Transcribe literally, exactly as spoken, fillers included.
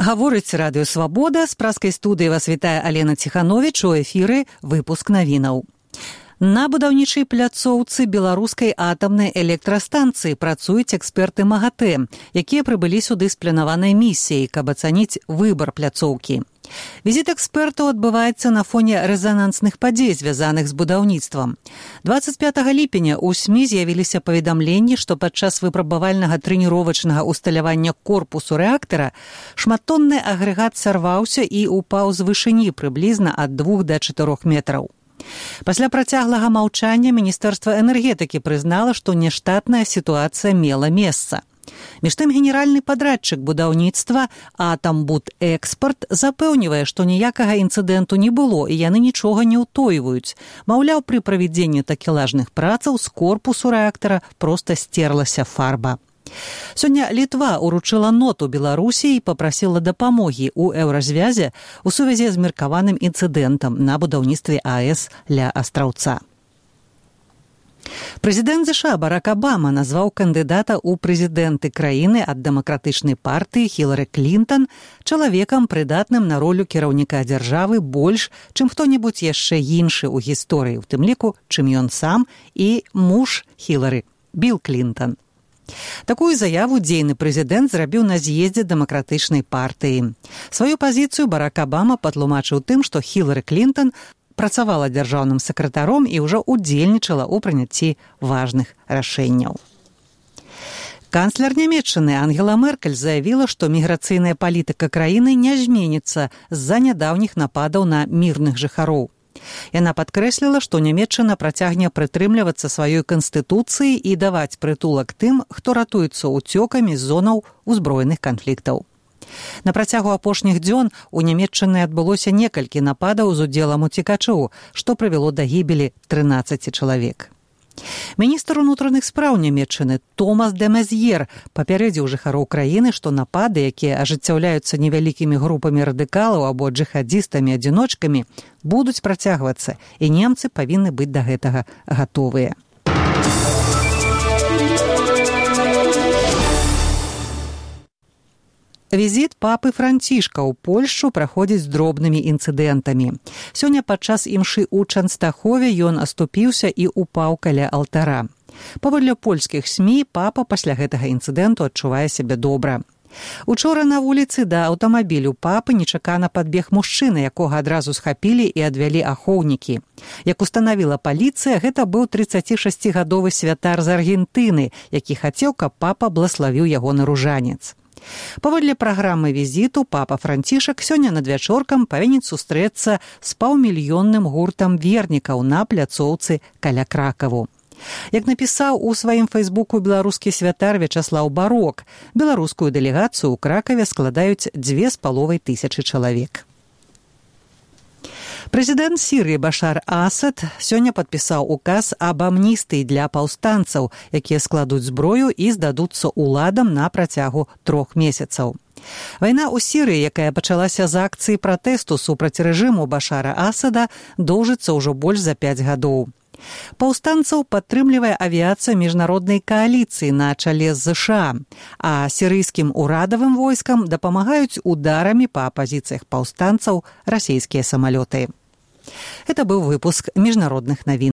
Гаворыць Радыё Свабода, з праскай студыі вас вітае Алена Ціхановіч, у эфіры выпуск навінаў. На будаўнічай пляцоўцы беларускай атамнай электрастанцыі працуюць эксперты МАГАТЭ, якія прыбылі сюды з планаванай місіяй, каб ацаніць выбар пляцоўкі. Візіт экспертаў адбываецца на фоне рэзанансных падзей, звязаных з будаўніцтвам. дваццаць пятага ліпеня ў СМІ з'явіліся паведамленні, што падчас выпрабавальнага трэніровачнага усталявання корпусу рэактара шматтонны агрэгат сарваўся і упаў з вышыні прыблізна ад двух да чатырох метраў. Пасля працяглага маўчання Міністэрства энергетыкі прызнала, што няштатная сітуацыя мела месца. Між тым генеральны падрадчык будаўніцтва «Атамбудэкспарт» запэўнівае, што ніякага інцыдэнту не было і яны нічога не ўтойваюць. Маўляў, пры правядзенні такелажных працаў з корпусу рэактара проста стерлася фарба. Сёння Літва ўручыла ноту Беларусі і папрасіла дапамогі ў еўразвязе у сувязі з меркаваным інцыдэнтам на будаўніцтве АЭС ля Астраўца. Прэзідэнт ЗША Барак Абама назваў кандыдата ў прэзідэнты краіны ад дэмакратычнай партыі Хілары Клінтан чалавекам, прыдатным на ролю кіраўніка дзяржавы больш, чым хто-небудзь яшчэ іншы ў гісторыі, у тым ліку, чым ён сам і муж Хілары, Білл Клінтан. Такую заяву дзейны прэзідэнт зрабіў на з'ездзе дэмакратычнай партыі. Сваю пазіцыю Барак Абама патлумачыў тым, што Хілары Клінтан працавала дзяржаўным сакратаром і ўжо ўдзельнічала ў прыняцці важных рашэнняў. Канцлер Нямецчыны Ангела Меркель заявіла, што міграцыйная палітыка краіны не зменіцца з-за нядаўніх нападаў на мірных жыхароў. Яна падкрэсліла, што Нямецчына працягне прытрымлівацца сваёй канстытуцыі і даваць прытулак тым, хто ратуецца ўцёкамі з зонаў узброеных канфліктаў. На працягу апошніх дзён у Нямецчыны адбылося некалькі нападаў з удзелам уцекачоў, што прывяло да гібелі трынаццаці чалавек. Міністр унутраных спраў Нямецчыны Томас де Мезьер папярэдзіў жыхароў краіны, што напады, якія ажыццяўляюцца невялікімі групамі радыкалаў або джыхадзістамі-адзіночкамі, будуць працягвацца, і немцы павінны быць да гэтага гатовыя. Візіт папы Францішка ў Польшчу праходзіць з дробнымі інцыдэнтамі. Сёння падчас імшы ў Чанстахове ён аступіўся і упаў каля алтара. Паводле польскіх СМІ, папа пасля гэтага інцыдэнту адчувае сябе добра. Учора на вуліцы да аўтамабілю папы нечакана падбег мужчына, якога адразу схапілі і адвялі ахоўнікі. Як устанавіла паліцыя, гэта быў трыццацішасцігадовы святар з Аргентыны, які хацеў, каб папа блаславіў яго на ружанец. Паводле праграмы візіту папа Францішак сёння надвячоркам павінен сустрэцца з паўмільённым гуртам вернікаў на пляцоўцы каля Кракаву. Як напісаў у сваім фэйсбуку беларускі святар Вячаслаў Барок, беларускую дэлегацыю ў Кракаве складаюць дзве з паловай тысячы чалавек. Прэзідэнт Сірыі Башар Асад сёння падпісаў указ аб амністыі для паўстанцаў, якія складуць зброю і здадуцца ўладам на працягу трох месяцаў. Вайна ў Сірыі, якая пачалася з акцыі пратэсту супраць рэжыму Башара Асада, доўжыцца ўжо больш за пяць гадоў. Паўстанцаў падтрымлівае авіяцыя міжнароднай кааліцыі на чале з ЗША, а сірыйскім урадавым войскам дапамагаюць ударамі па пазіцыях паўстанцаў расійскія самалёты. Это быў выпуск міжнародных навін.